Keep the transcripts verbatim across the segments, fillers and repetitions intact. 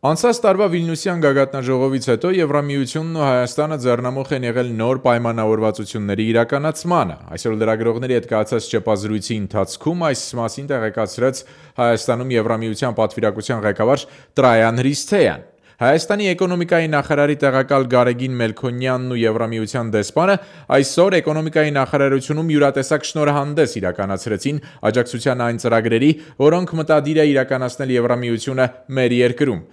Անցած տարվա Վիլնյուսյան գագաթնաժողովից հետո Եվրամիությունն ու Հայաստանը ձեռնամուխ են եղել նոր պայմանավորվածությունների իրականացմանը։ Այսօր լրագրողների հետ կայացած ճեպազրույցի ընթացքում այս մասին տեղեկացրեց Հայաստանում Եվրամիության պատվիրակության ղեկավար Տրայան Հրիսթեյան։ Հայաստանի էկոնոմիկայի նախարարի տեղակալ Գարեգին Մելքոնյանն ու Եվրամիության դեսպանը այսօր էկոնոմիկայի նախարարությունում յուրատեսակ շնորհանդես իրականացրեցին աջակցության այն ծրագրերի, որոնք մտադիր է իրականացնել Եվրամիությունը մեր երկրում։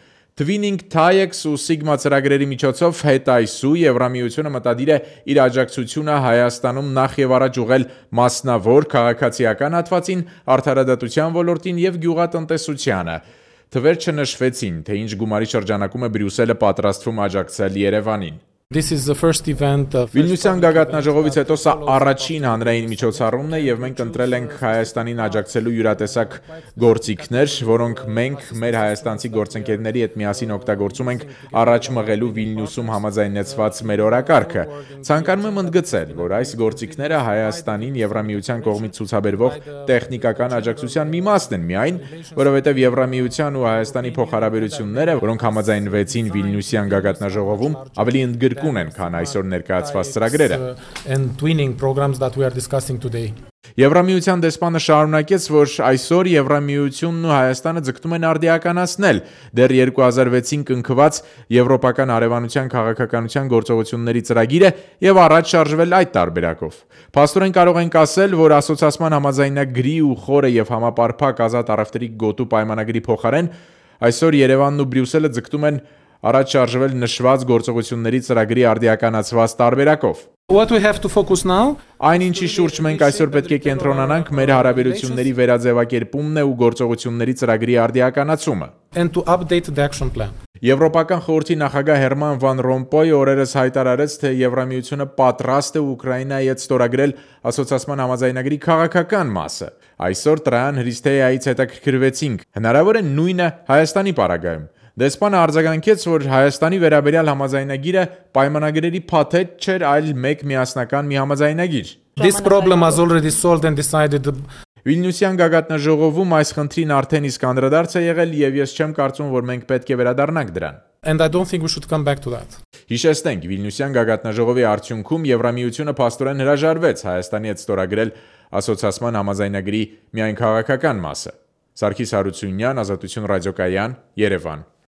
Twinning TAIEX ու Sigma ծրագրերի միջոցով հետայսու Եվրամիությունը մտադիր է իր աջակցությունը Հայաստանում նախ եւ առաջ ուղղել մասնավոր քաղաքացիական հատվածին, արդարադատության ոլորտին եւ գյուղատնտեսությանը։ Թվեր չնշվեցին, թե ինչ գումարի շրջանակում է Բրյուսելը պատրաստվում աջակցել Երևանին։ Վիլնյուսյան գագաթնաժողովից հետո սա առաջին հանրային միջոցառումն է եւ մենք ընտրել ենք Հայաստանին աջակցելու յուրատեսակ գործիքներ, որոնք մենք մեր հայաստանցի գործընկերների հետ միասին օգտագործում ենք առաջ մղելու Վիլնյուսում համաձայնեցված մեր օրակարգը։ Ցանկանում եմ ընդգծել, որ այս գործիքները Հայաստանին Եվրամիության կողմից ցուցաբերվող տեխնիկական աջակցության մի մասն են միայն, որովհետեւ Եվրամիության ու Հայաստանի փոխհարաբերությունները, որոնք համաձայնվեցին Վիլնյուսյան գագաթնաժողովում, ավելի ընդգրկուն են, քան այսօր ներկայացված ծրագրերը։ Եվրամիության դեսպանը շարունակեց, որ այսօր Եվրամիությունն ու Հայաստանը ձգտում են արդիականացնել դեռ երկու հազար վեցին կնքված Եվրոպական հարևանության քաղաքականության գործողությունների ծրագիրը եւ առաջ շարժվել այդ տարբերակով։ Փաստորեն կարող ենք ասել, որ ասոցիացման համաձայնագրի ու խորը եւ համապարփակ ազատ առևտրի գոտու պայմանագրի փոխարեն այսօր Երևանն ու Բրյուսելը ձգտում են առաջ շարժվել նշված գործողությունների ծրագրի արդիականացված տարբերակով։ Այն ինչի շուրջ մենք այսօր պետք է կենտրոնանանք, մեր հարաբերությունների վերաձևակերպումն է ու գործողությունների ծրագրի արդիականացումը։ Եվրոպական խորհրդի նախագահ Հերման Վան Ռոմպոյը օրերս հայտարարեց, թե Եվրամիությունը պատրաստ է Ուկրաինայի հետ ստորագրել ասոցիացման համաձայնագրի քաղաքական մասը։ Այսօր Տրայան Հրիսթեյայից հետաքրքրվեցինք, հնարավոր է նույնը Հայաստանի պարագայում։ Դեսպանը արձագանքեց, որ Հայաստանի վերաբերյալ համաձայնագիրը պայմանագրերի փաթեթ չէր, այլ մեկ միասնական մի համաձայնագիր։ Վիլնյուսյան գագաթնաժողովում այս խնդրին արդեն իսկ անդրադարձ է եղել եւ ես չեմ կարծում, որ մենք պետք է վերադառնանք դրան։ Հիշեցնենք, Վիլնյուսյան գագաթնաժողովի արդյունքում Եվրամիությունը փաստորեն հրաժարվեց Հայաստանի հետ ստորագրել ասոցիացման համաձայնագրի միայն քաղաքական մասը։ Սարգիս Հարությունյան, Ազատություն ռադիոկայան, Երևան։